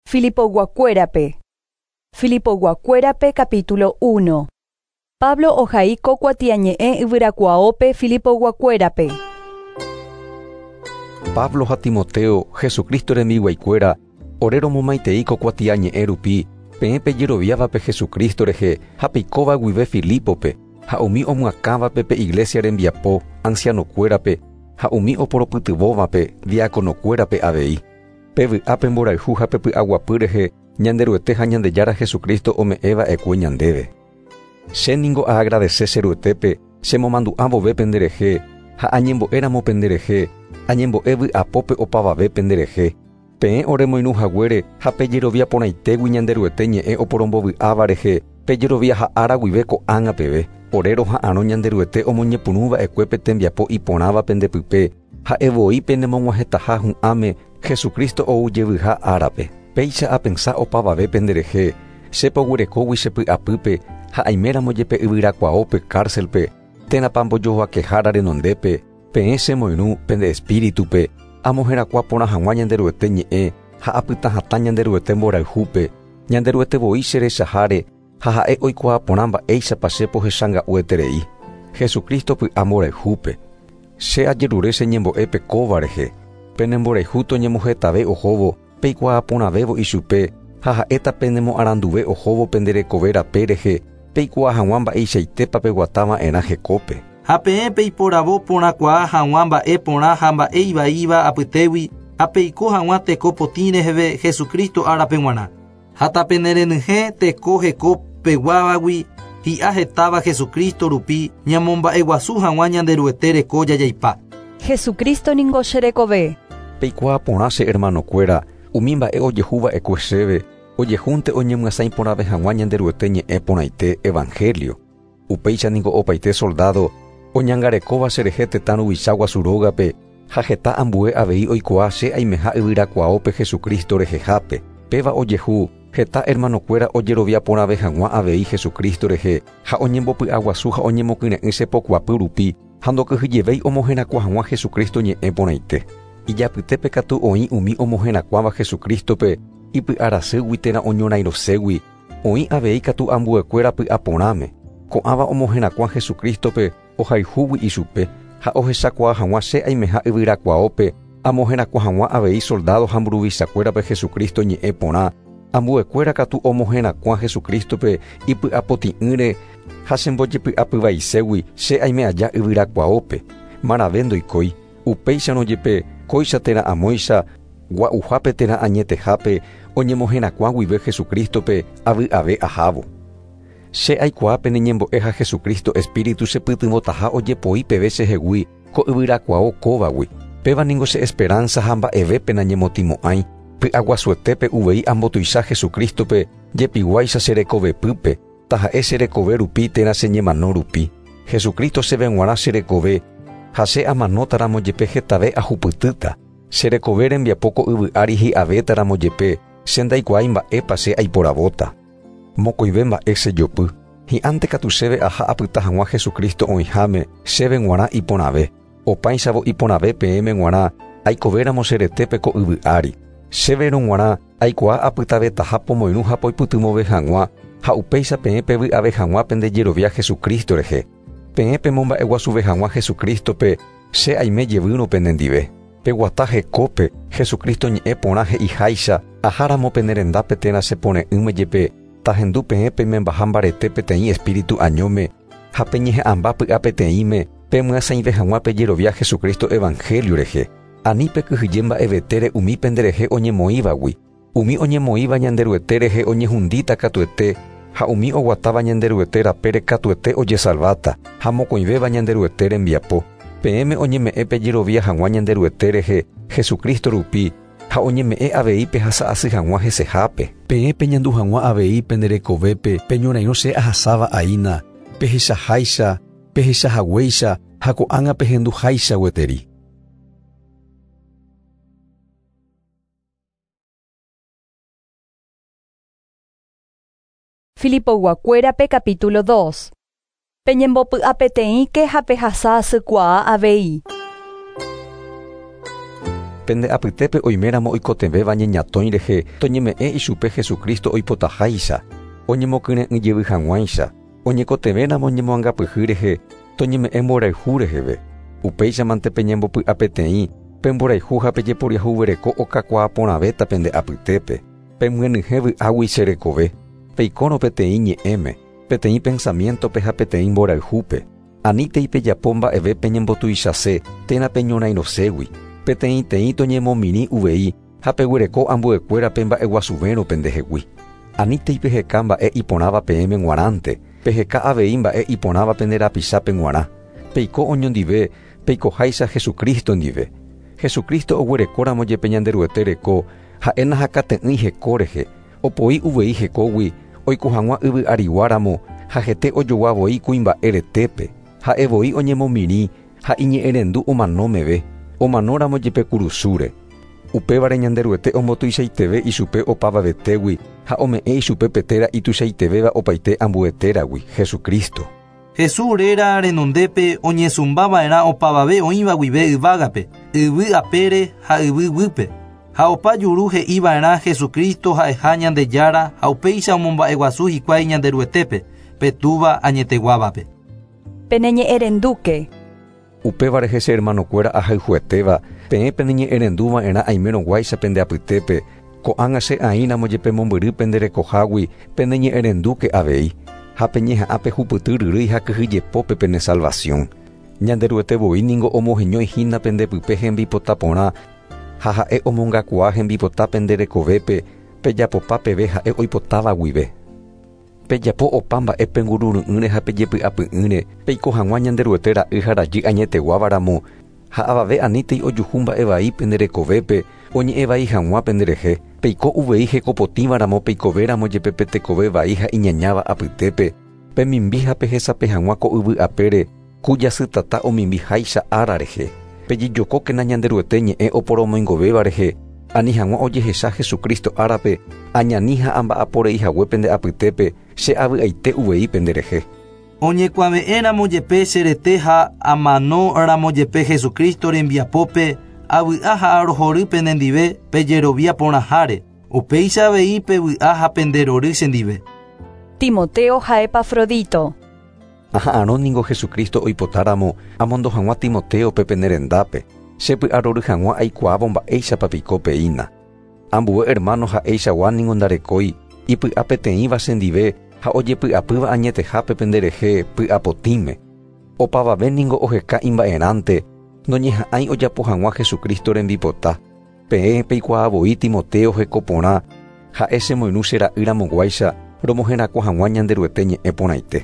Filipoyguakuérape. Filipoyguakuérape capítulo 1. Pablo ohai ko kuatiañe'ẽ yvyrakuaópe Filipoyguakuérape. Pablo ha Timoteo, Jesucristo rembiguaikuéra, ore romomaitei ko kuatiañe'ẽ rupi, peẽ pejeroviávape Jesucristo rehe ha peikóva guive Filipo-pe, ha umi omyakãvape pe iglesia rembiapo, ancianokuérape, ha umi oporopytyvõvape, diáconokuérape avei. Pevy'a pe mborayhu ha pe py'aguapy rehe Ñanderuete ha Ñandejára Jesucristo ome'ẽva'ekue ñandéve. Che ningo aagradese che Ruetépe chemomandu'a vove penderehe ha añembo'éramo penderehe, añembo'e vy'apópe opavave penderehe. Peẽ oremoirũ haguére ha pejerovia porãitégui Ñanderuete ñe'ẽ oporombovy'áva rehe, pejerovia ha ára guive ko'ág̃a peve. Ore roha'arõ Ñanderuete omoñepyrũva'ekue pe tembiapo iporãva pendepype, ha'e voi penemog̃uahẽtaha hu'ãme Jesucristo ou jevyha árape. Péicha apensa opavave penderehe, che poguerekógui che py'apýpe ha aiméramo jepe yvyrakuaópe cárcel-pe, térãpa mbojovakehára renondépe, peẽ chemoirũ pende espíritu-pe, amoherakuã porã hag̃ua Ñanderuete ñe'ẽ ha apyta hatã Ñanderuete mborayhúpe, Ñanderuete voi che rechaháre ha ha'e oikuaa porã mba'éichapa che pohechanga'ueterei. Jesucristo py'a mborayhúpe. Che ajerure che ñembo'épe kóva rehe, pene mborayhu toñemohetave ohóvo, peikuaa porãvévo ichupe ha ha'éta penemoaranduve ohóvo pende rekove rape rehe, peikuaa hag̃ua mba'eichaitépa peguata va'erã hekópe. Ha peẽ peiporavo porãkuaa hag̃ua mba'e porã ha mba'e ivaíva apytégui ha peiko hag̃ua teko potĩ reheve Jesucristo árape g̃uarã. Ha tapenerenyhẽ teko heko peguávagui hi'a hetáva Jesucristo rupi ñamomba'eguasu hag̃ua Ñanderuete reko jajaipa. Jesucristo ningo che rekove. Peikuaa porã che hermanokuéra, umi mba'e ojehu va'ekue chéve, ojehúnte oñemyasãi porãve hag̃ua Ñanderuete ñe'ẽ porãite evangelio. Upéicha ningo opaite soldado oñangarekóva cherehe tetã ruvicha guasu rógape ha heta ambue avei oikuaa che aimeha yvyrakuaópe Jesucristo rehehápe. Péva ojehu heta hermanokuéra ojerovia porãve hag̃ua avei Jesucristo rehe ha oñembopy'aguasu ha oñemokyre'ỹ che pokuapy rupi ha ndokyhyjevéi omoherakuã hag̃ua Jesucristo ñe'ẽ porãite. Ijapytépe katu oĩ umi omoherakuãva Jesucristo-pe ipy'arasýgui térã oñorairõségui, oĩ avei katu ambuekuéra py'aporãme, ko'ãva omoherakuã Jesucristo-pe ohayhúgui ichupe ha ohechakuaa hag̃ua che aimeha yvyrakuaópe amoherakuã hag̃ua avei soldado ha mburuvichakuérape Jesucristo ñe'ẽ porã, ambuekuéra katu omoherakuã Jesucristo-pe ipy'apotĩ'ỹre ha chembojepy'apyvaiségui che aime aja yvyrakuaópe. Marave ndoikói, upéicharõ jepe kóicha térã amóicha gua'uhápe térã añetehápe oñemoherakuã guive Jesucristo-pe avy'ave ahávo. Che aikuaa pene ñembo'e ha Jesucristo Espíritu chepytyvõtaha ojepoi peve chehegui ko yvyrakuao kóvagui. Péva ningo che esperanza ha mba'evépe nañemotĩmo'ãi, py'aguasuetépe uvei ambotuicha Jesucristo-pe jepiguáicha che rekovepýpe, taha'e che rekove rupi térã che ñemano rupi. Jesucristo chéve g̃uarã che rekove, ha che amanótaramo jepe hetave ahupytýta. Che rekove rembiapo ko yvy ári hi'avétaramo jepe, che ndaikuaái mba'épa che aiporavóta. Mokõive mba'e che jopy. Hi'ãnte katu chéve aha apyta hag̃ua Jesucristo oĩháme, chéve g̃uarã iporãve. Opáichavo iporãve peẽme g̃uarã aikovéramo che retépe ko yvy ári. Chéverõ g̃uarã aikuaa apytavetaha pomoirũ ha poipytyvõve hag̃ua, ha upéicha peẽ pevy'ave hag̃ua pende jerovia Jesucristo rehe. Peẽ pemomba'eguasuve hag̃ua Jesucristo-pe, che aime jevýrõ penendive. Peguata hekópe, Jesucristo ñe'ẽ porã he'iháicha, aháramo pene rendápe térã che pore'ỹme jepe, tahendu peẽ peimembaha mbarete peteĩ espíritu añóme ha peñeha'ãmba py'a peteĩme pemyasãive hag̃ua pejerovia Jesucristo evangelio rehe. Ani pekyhyje mba'evetére umi penderehe oñemoĩvagui. Umi oñemoĩva Ñanderuete rehe oñehundíta katuete, ha umi oguatáva Ñanderuete rapére katuete ojesalváta, ha mokõivéva Ñanderuete rembiapo. Peẽme oñeme'ẽ pejerovia hag̃ua Ñanderuete rehe Jesucristo rupi, ha oñeme'ẽ avei pehasa'asy hag̃ua hesehápe. Peẽ peñandu hag̃ua avei pende rekovépe peñorairõ che ahasáva aína, pehechaháicha, pehechahaguéicha ha ko'ág̃a pehenduháicha gueteri. Filipoyguakuérape capítulo 2. Peñembopy'apeteĩke ha pehasa asykuaa avei. Pende apytépe oiméramo oikotevẽva ñeñatõi rehe toñeme'ẽ ichupe Jesucristo oipotaháicha, oñemokyre'ỹ jevy hag̃uáicha, oñekotevẽramo ñemoangapyhy rehe toñeme'ẽ mborayhu reheve. Upéichamante peñembopy'apeteĩ, pemborayhu ha pejeporiahuvereko okakuaa porãvéta pende apytépe. Pemyenyhẽ vy'águi che rekove, peikórõ peteĩ ñe'ẽme, peteĩ pensamientope ha peteĩ mborayhúpe. Anítei pejapo mba'eve peñembotuichase térã peñorairõségui. Peteĩteĩ toñemomirĩ uvei ha peguereko ambuekuérape mba'eguasuvérõ pendehegui. Anítei peheka mba'e iporãva peẽme g̃uarãnte, peheka avei mba'e iporãva pende rapichápe g̃uarã. Peiko oñondive, peikoháicha Jesucristo ndive. Jesucristo oguerekóramo jepe Ñanderuete reko, ha'e nahakate'ỹi heko rehe, opoi uvei hekógui, oiko hag̃ua yvy ariguáramo ha hete ojogua voi kuimba'e retépe. Ha'e voi oñemomirĩ ha iñe'ẽrendu omano meve, omanóramo jepe kurusúre. Upévare Ñanderuete ombotuichaiteve ichupe opavavetégui ha ome'ẽ ichupe pe téra ituichaitevéva opaite ambue téragui, Jesucristo. Jesús réra renondépe oñesumbava'erã opavave oĩva guive yvágape, yvy apére ha yvy guýpe. Ha opa juru he'iva'erã Jesucristo ha'eha Ñandejára ha upéicha omomba'eguasu hikuái Ñanderuetépe, pe Túva añeteguávape. Peneñe'ẽrendúke. Upévare che hermanokuéra ahayhuetéva, peẽ peneñe'ẽrenduva'erã aimérõguáicha pende apytépe, ko'ág̃a che aĩramo jepe mombyry pende rekohágui peneñe'ẽrendúke avei, ha peñeha'ã pehupyty ryrýi ha kyhyjepópe pene salvación. Ñanderuete voi ningo omoheñói hína pendepype hembipota porã ha ha'e omongakuaa hembipota pende rekovépe pejapopa peve ha'e oipotáva guive. Pejapo opa mba'e pengururu'ỹre ha pejepy'apy'ỹre, peiko hag̃ua Ñanderuete ra'y ha rajy añeteguávaramo, ha avave anítei ojuhu mba'e vai pende rekovépe, oñe'ẽ vai hag̃ua penderehe, peiko uvei hekopotĩvaramo peikovéramo jepe pe tekove vai ha iñañáva apytépe, pemimbi ha pehesape hag̃ua ko yvy apére, ku jasytata omimbiháicha ára rehe. Pejejokókena Ñanderuete ñe'ẽ oporomoingovéva rehe, ani hag̃ua ojehecha Jesucristo árape, añani ha amba'aporei hague pende apytépe, che avy'aite uvei penderehe. Oñekuave'ẽramo jepe che rete ha amanóramo jepe Jesucristo rembiapópe, avy'a ha arohory penendive pejerovia porãháre. Upéicha avei pevy'a ha penderory chendive. Timoteo ha Epafrodito. Aha'arõ ningo Jesucristo oipotáramo amondo hag̃ua Timoteope pene rendápe, chepy'arory hag̃ua aikuaávo mba'éichapa piko peína. Ambue hermano ha'eichagua ningo ndarekói, ipy'a peteĩva chendive ha ojepy'apýva añetehápe penderehe py'apotĩme. Opavave ningo oheka imba'erãnte, noñeha'ãi ojapo hag̃ua Jesucristo rembipota. Peẽ peikuaa voi Timoteo heko porã, ha'e chemoirũ che ra'ýramoguáicha romoherakuã hag̃ua Ñanderuete ñe'ẽ porãite.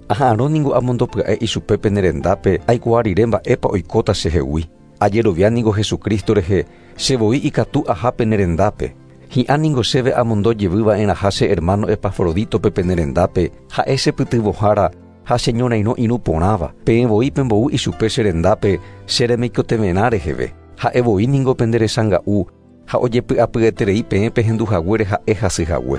Aha'arõ ningo amondopya'e ichupe pene rendápe aikuaa rire mba'épa oikóta chehegui. Ajerovia ningo Jesucristo rehe, che voi ikatu aha pene rendápe. Hi'ã ningo chéve amondo jevyva'erãha che hermano Epafroditope pene rendápe, ha'e chepytyvõhára ha cheñorairõ irũ porãva. Peẽ voi pembou ichupe che rendápe che remeikotevẽrã reheve. Ha'e voi ningo pende resanga'u ha ojepy'apyeterei peẽ pehenduhaguére ha'e hasyhague.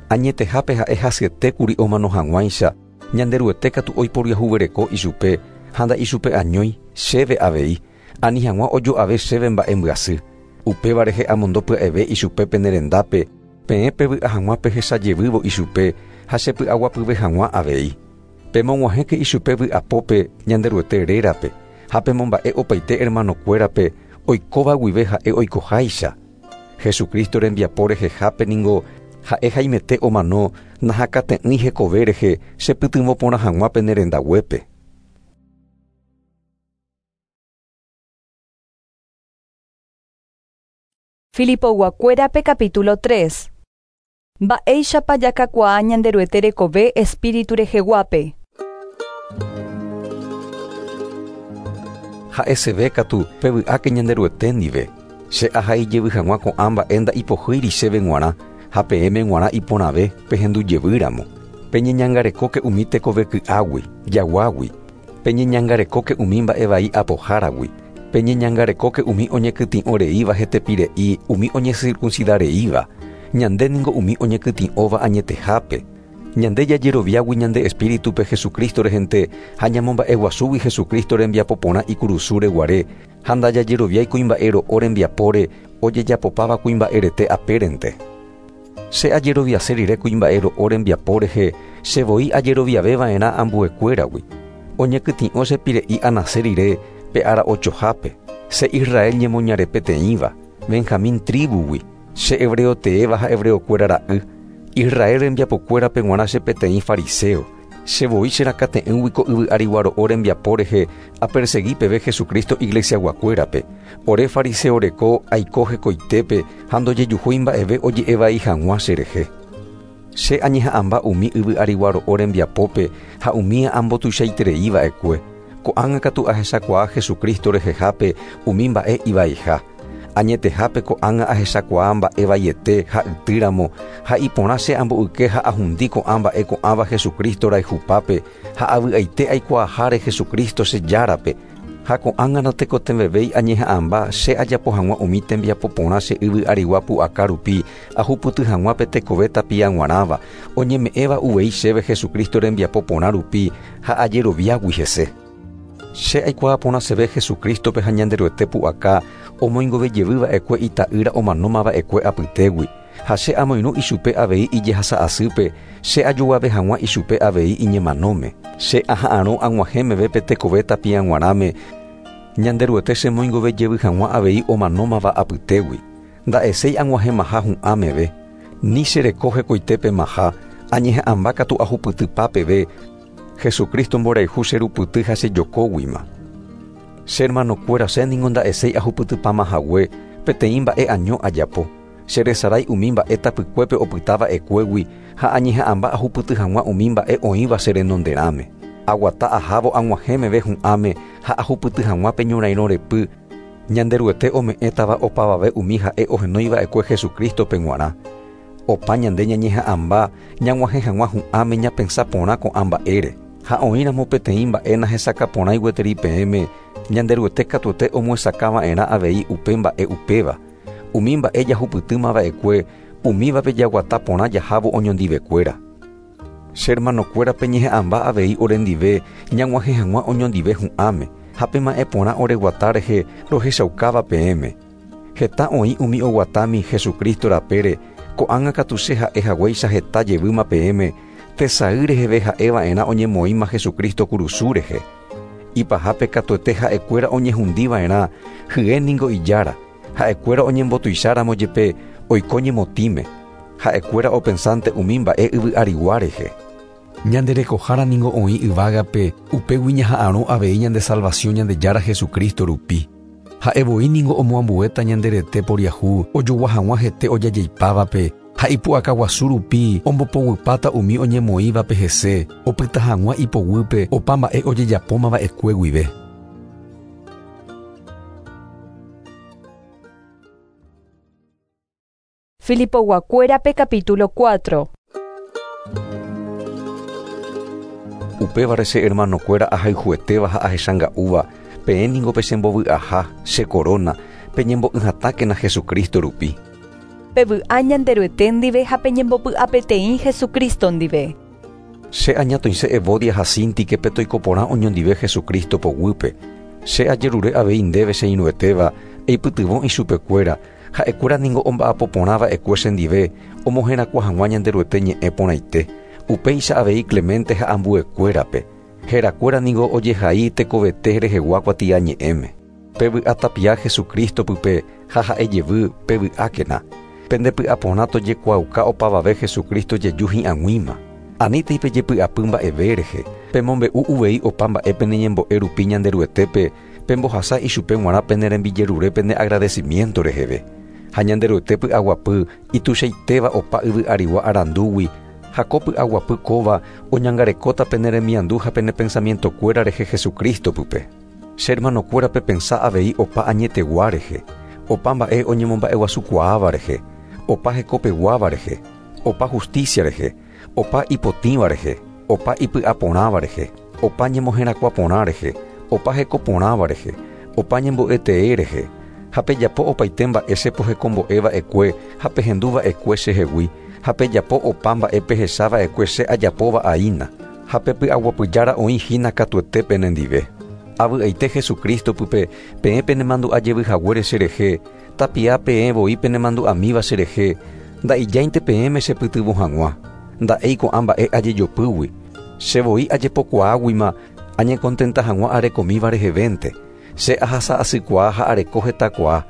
Añetehápe ha'e hasyetékuri omano hag̃uáicha, Ñanderuete katu oiporiahuvereko ichupe ha nda'ichupe añói, chéve avei, ani hag̃ua ojo'ave chéve mba'e mbyasy. Upéva rehe amondo pya'eve ichupe pene rendápe, peẽ pevy'a hag̃ua pehechajevývo ichupe ha chepy'aguapyve hag̃ua avei. Pemog̃uahẽke ichupe vy'apópe Ñanderuete rérape, ha pemomba'e opaite hermanokuérape oikóva guive ha'e oikoháicha. Jesucristo rembiapo rehehápe ningo ha'e haimete omano nahakate'ỹi hekove rehe chepytyvõ porã hag̃ua pene rendaguépe. Filipoguakuérape capítulo 3. Mba'éichapa jakakuaa Ñanderuete rekove espíritu reheguápe. Ha'eseve katu pevy'áke Ñanderuete ndive. Che ahai jevy hag̃ua ko'ã mba'e nda'ipohýiri chéve g̃uarã ha peẽme g̃uarã iporãve pehendu jevýramo. Peñeñangarekóke umi tekove ky'águi, jaguágui. Peñeñangarekóke umi mba'e vai apoháragui. Peñeñangarekóke umi oñekytĩ'oreíva hetepire'i, umi oñecircuncidareíva. Ñande ningo umi oñekytĩ'óva añetehápe. Ñande jajeroviágui ñande espíritupe Jesucristo rehente ha ñamomba'eguasúgui Jesucristo rembiapo porã ikurusúre guare ha ndajajeroviái kuimba'e ro'o rembiapóre ojejapopáva kuimba'e rete apérente. Che ajeroviase rire kuimba'e ro'o rembiapo rehe che voi ajeroviaveva'erã ambuekuéragui. Oñekytĩ'o che pire'i anase rire pe ára ochohápe, che Israel ñemoñare peteĩva, Benjamín tribugui, che hebreo teéva ha hebreokuéra ra'y, Israel rembiapokuérape g̃uarã che peteĩ fariseo, che voi cherakate'ỹgui ko yvy arigua ro'o rembiapo rehe apersegui peve Jesucristo iglesiaguakuérape, ore fariseo reko aiko hekoitépe ha ndojejuhúi mba'eve oje'evai hag̃ua cherehe. Che añeha'ãmba umi yvy arigua ro'o rembiapópe ha umía ambotuichaitereiva'ekue. Ko'ág̃a katu ahechakuaa Jesucristo rehehápe umi mba'e ivaiha. Añetehápe ko'ág̃a ahechakuaa mba'e vaiete ha ytýramo ha iporã che amboyke ha ahundi ko'ã mba'e ko'ãva Jesucristo rayhupápe ha avy'aite aikuaaháre Jesucristo che járape ha ko'ág̃a natekotevẽvéi añeha'ãmba che ajapo hag̃ua umi tembiapo porã che yvy arigua pu'aka rupi ahupyty hag̃ua pe tekove tapia g̃uarãva oñeme'ẽva uvei chéve Jesucristo rembiapo porã rupi ha ajeroviágui hese. Che aikuaa porãseve Jesucristope ha Ñanderuete pu'aka omoingovejevýva'ekue ita'ýra omanómava'ekue apytégui ha che amoirũ ichupe avei ijehasa'asýpe che ajoguave hag̃ua ichupe avei iñemanóme. Che aha'arõ ag̃uahẽ pe tekove tapia g̃uarãme Ñanderuete chemoingovejevy hag̃ua avei omanómava apytégui. Nda'eséi ag̃uahẽmaha hu'ã meve, ni chereko hekoitépemaha añeha'ãmba katu ahupytypa peve Jesucristo mborayhu cherupyty ha chejokóguima. Che hermanokuéra che ningo nda'eséi ahupytypamahague peteĩ mba'e año ajapo. Cheresarái umi mba'e tapykuépe opytava'ekuégui ha añeha'ãmba ahupyty hag̃ua umi mba'e oĩva che renonderãme. Aguata ahávo ag̃uahẽ meve hu'ãme ha ahupyty hag̃ua pe ñorairõ repy Ñanderuete ome'ẽtava opavave umi ha'e ohenóiva'ekue Jesucristope g̃uarã. Opa ñande ñañeha'ãmba ñag̃uahẽ hag̃ua hu'ãme ñapensa porã ko'ã mba'ére. Ha oĩramo peteĩ mba'e nahesakaporãi gueteri peẽme Ñanderuete katuete omoesakãva'erã avei upe mba'e upéva. Umi mba'e jahupytýmava'ekue umívape jaguata porã jahávo oñondivekuéra. Che hermanokuérape ñeha'ãmba avei orendive ñag̃uahẽ hag̃ua oñondive hu'ãme ha pema'ẽ porã oreguata rehe rohechaukáva peẽme. Heta oĩ umi oguatámi Jesucristo rapére ko'ág̃a katu che ha'e haguéicha heta jevýma peẽme tesay reheve ha'eva'erã oñemoĩma Jesucristo kurusu rehe. Ipahápe katuete ha'ekuéra oñehundiva'erã hye ningo ijára, ha'ekuéra oñembotuicháramo jepe oiko ñemotĩme. Ha'ekuéra opensánte umi mba'e yvy arigua rehe. Ñanderekohára ningo oĩ yvágape upégui ñaha'arõ avei ñande salvación Ñandejára Jesucristo rupi. Ha'e voi ningo omoambuéta ñanderete poriahu ojogua hag̃ua hete ojajeipávape ha ipu'akaguasu rupi ombopoguýpata umi oñemoĩvape hese opyta hag̃ua ipoguýpe opa mba'e ojejapómava'ekue guive. Filipoguakuérape capítulo 4. Upévare che hermanokuéra ahayhuetéva ha ahechanga'úva peẽ ningo pechembovy'aha che corona peñembo'yhatãkena Jesucristo rupi. Pevy'a Ñanderuete ndive ha peñembopy'apeteĩ Jesucristo ndive. Che añatoĩse Evodia ha Síntique toiko porã oñondive Jesucristo poguýpe. Che ajerure avei ndéve che irũetéva eipytyvõ ichupekuéra ha'ekuéra ningo omba'apo porãva'ekue chendive omoherakuã hag̃ua Ñanderuete ñe'ẽ porãite. Upéicha avei Clemente ha ambuekuérape. Herakuéra ningo ojehai tekovete rehegua kuatiañe'ẽme. Pevy'a tapia Jesucristo pype ha ha'e jevy pevy'ákena. Pendepy'aporã tojekuaauka opavave Jesucristo jeju hi'ag̃uíma. Anítei pejepy'apy mba'eve rehe. Pemombe'u uvei opa mba'e peneñembo'e rupi Ñanderuetépe pembohasa ichupe g̃uarã pene rembijerure pene agradecimiento reheve. Ha Ñanderuete py'aguapy ituichaitéva opa yvy arigua arandúgui ha ko py'aguapy kóva oñangarekóta pene remiandu ha pene pensamientokuéra rehe Jesucristo pype. Che hermanokuéra pepensa avei opa añetegua rehe, opa mba'e oñemomba'eguasukuaáva rehe, opa hekopeguáva rehe, opa justicia rehe, opa ipotĩva rehe, opa ipy'aporãva rehe, opa ñemoherakuã porã rehe, opa hekoporãva rehe, opa ñembo'etee rehe. Ha pejapo opaite mba'e che pohekombo'e va'ekue ha pehendu va'ekue chehegui, ha pejapo opa mba'e pehecha va'ekue che ajapóva aína. Ha pe py'aguapyjára oĩ hína katuete penendive. Avy'aite Jesucristo pype peẽ penemandu'a jevy haguére cherehe, tapia peẽ voi penemandu'amíva cherehe, nda'ijáinte peẽme chepytyvõ hag̃ua. Nda'éi ko'ã mba'e ajejopýgui. Che voi ajepokuaáguima añekontenta hag̃ua arekomíva rehevénte. Che ahasa'asykuaa ha areko hetakuaa.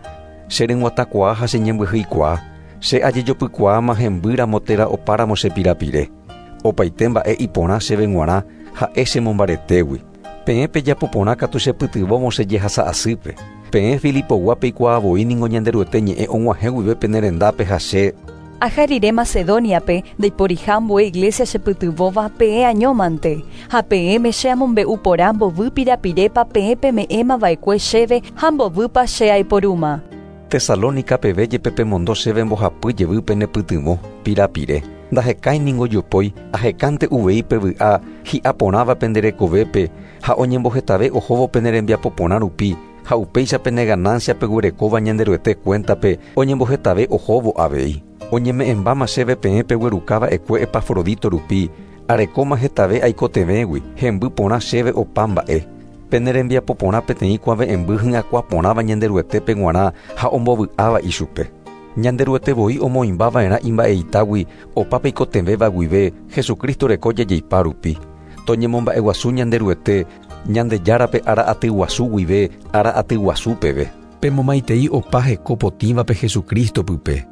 Che ryg̃uatãkuaa ha che ñembyhýikuaa. Che ajejopykuaáma hembýramo térã opáramo che pirapire. Opaite mba'e iporã chéve g̃uarã ha'e chemombaretégui. Peẽ pejapo porã katu chepytyvõvo che jehasa'asýpe. Peẽ Filipogua peikuaa voi ningo Ñanderuete ñe'ẽ og̃uahẽ guive pene rendápe ha che. Aha rire Macedóniape, ndaiporiha ambue iglésia chepytyvõva peẽ añómante. Ha peẽme che amombe'u porã mbovy pirapirépa peẽ peme'ẽma va'ekue chéve ha mbovýpa che aiporúma. Tesalónica peve jepe pemondo chéve mbohapy jevy penepytyvõ, pirapire. Ndahekái ningo jopói, ahekánte uvei pe vy'a hi'a porãva pende rekovépe ha oñembohetave ohóvo pene rembiapo porã rupi ha upéicha pene ganancia peguerekóva Ñanderuete cuéntape oñembohetave ohóvo avei. Oñeme'ẽmbáma chéve peẽ pegueruka va'ekue Epafrodito rupi, arekóma hetave aikotevẽgui, hemby porã chéve opa mba'e. Pene rembiapo porã peteĩ kuave'ẽmby hyakuã porãva Ñanderuetépe g̃uarã ha ombovy'áva ichupe. Ñanderuete voi omoĩmba va'erã imba'eitágui opa peikotevẽva guive Jesucristo reko jajeipa rupi. Toñemomba'eguasu Ñanderuete, Ñandejárape ára aty guasu guive ára aty guasu peve. Pemomaitei opa heko potĩvape Jesucristo pype.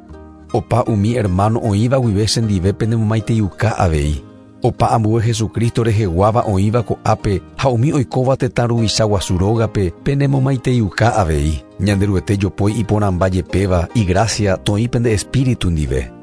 Opa umi hermano oĩva guive chendive penemomaiteiuka avei. Opa ambue Jesucristo reheguáva oĩva ko'ápe ha umi oikóva tetã ruvicha guasu rógape penemomaiteiuka avei. Ñanderuete jopói iporãmba jepéva, igracia toĩ pende espíritu ndive.